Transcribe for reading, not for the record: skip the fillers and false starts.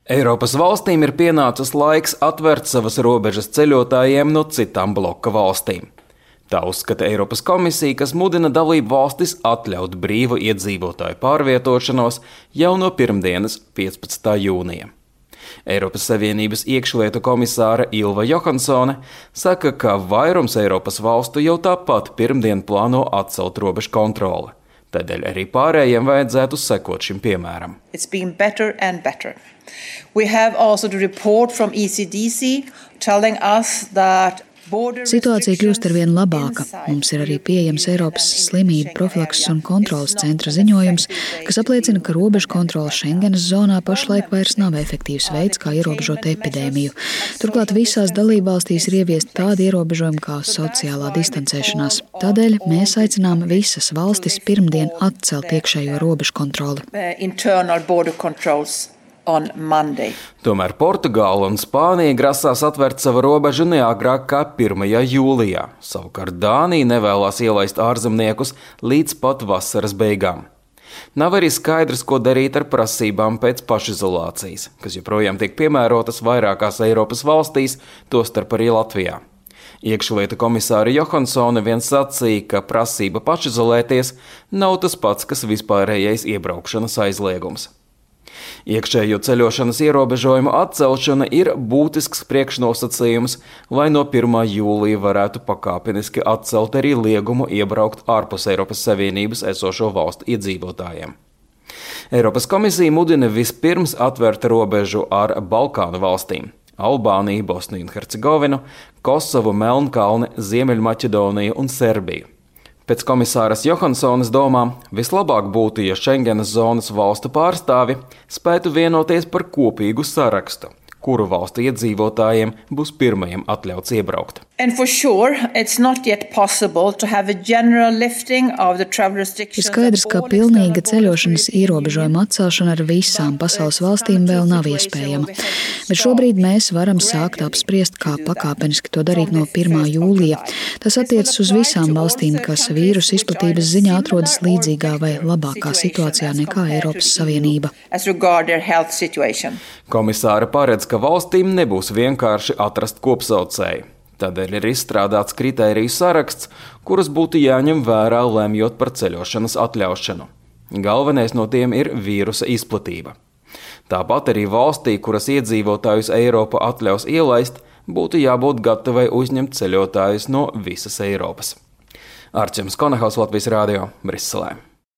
Eiropas valstīm ir pienācis laiks atvērt savas robežas ceļotājiem no citām bloka valstīm. Tā uzskata Eiropas komisija, kas mudina dalību valstis atļaut brīvu iedzīvotāju pārvietošanos jau no pirmdienas 15. jūnija. Eiropas Savienības iekšlietu komisāra Ilva Johansone saka, ka vairums Eiropas valstu jau tāpat pirmdien plāno atcelt robežu kontroli. Tādēļ arī pārējiem vajadzētu sekot šim piemēram. It's been better and better. We have also the report from ECDC telling us that Situācija kļūst arvien labāka. Mums ir arī pieejams Eiropas slimību profilakses un kontrolas centra ziņojums, kas apliecina, ka robežu kontrole Schengenas zonā pašlaik vairs nav efektīvs veids, kā ierobežot epidēmiju. Turklāt visās dalībvalstīs ir ieviesti tādi ierobežojumi kā sociālā distancēšanās. Tādēļ mēs aicinām visas valstis pirmdien atcelt iekšējo robežu kontroli. Tomēr Portugāla un Spānija grasās atvērt savu robežu neagrāk kā 1. jūlijā. Savukārt Dānija nevēlās ielaist ārzemniekus līdz pat vasaras beigām. Nav arī skaidrs, ko darīt ar prasībām pēc pašizolācijas, kas joprojām tiek piemērotas vairākās Eiropas valstīs, tostarp arī Latvijā. Iekšlietu komisāra Johansone vien sacīja, ka prasība pašizolēties nav tas pats, kas vispārējais iebraukšanas aizliegums. Iekšējo ceļošanas ierobežojumu atcelšana ir būtisks priekšnosacījums, lai no 1. jūlija varētu pakāpeniski atcelt arī liegumu iebraukt ārpus Eiropas Savienības esošo valstu iedzīvotājiem. Eiropas komisija mudina vispirms atvērt robežu ar Balkānu valstīm – Albāniju, Bosniju un Hercegovinu, Kosovu, Melnkalni, Ziemeļmaķedoniju un Serbiju. Pēc komisāras Johansones domām vislabāk būtu, ja Schengenas zonas valstu pārstāvi spētu vienoties par kopīgu sarakstu, kuru valstu iedzīvotājiem būs pirmajiem atļauts iebraukt. Ir skaidrs, ka pilnīga ceļošanas ierobežojuma atcelšana ar visām pasaules valstīm vēl nav iespējama. Bet šobrīd mēs varam sākt apspriest, kā pakāpeniski to darīt no 1. jūlija. Tas attiecas uz visām valstīm, kas vīrusu izplatības ziņā atrodas līdzīgā vai labākā situācijā nekā Eiropas Savienība. Komisāra paredz, ka valstīm nebūs vienkārši atrast kopsaucēju. Tādēļ ir izstrādāts kritēriju saraksts, kurus būtu jāņem vērā, lemjot par ceļošanas atļaušanu. Galvenais no tiem ir vīrusa izplatība. Tāpat arī valstī, kuras iedzīvotājus Eiropa atļaus ielaist, būtu jābūt gatavai uzņemt ceļotājus no visas Eiropas. Arčems Konahaus, Latvijas Rādio, Briselē.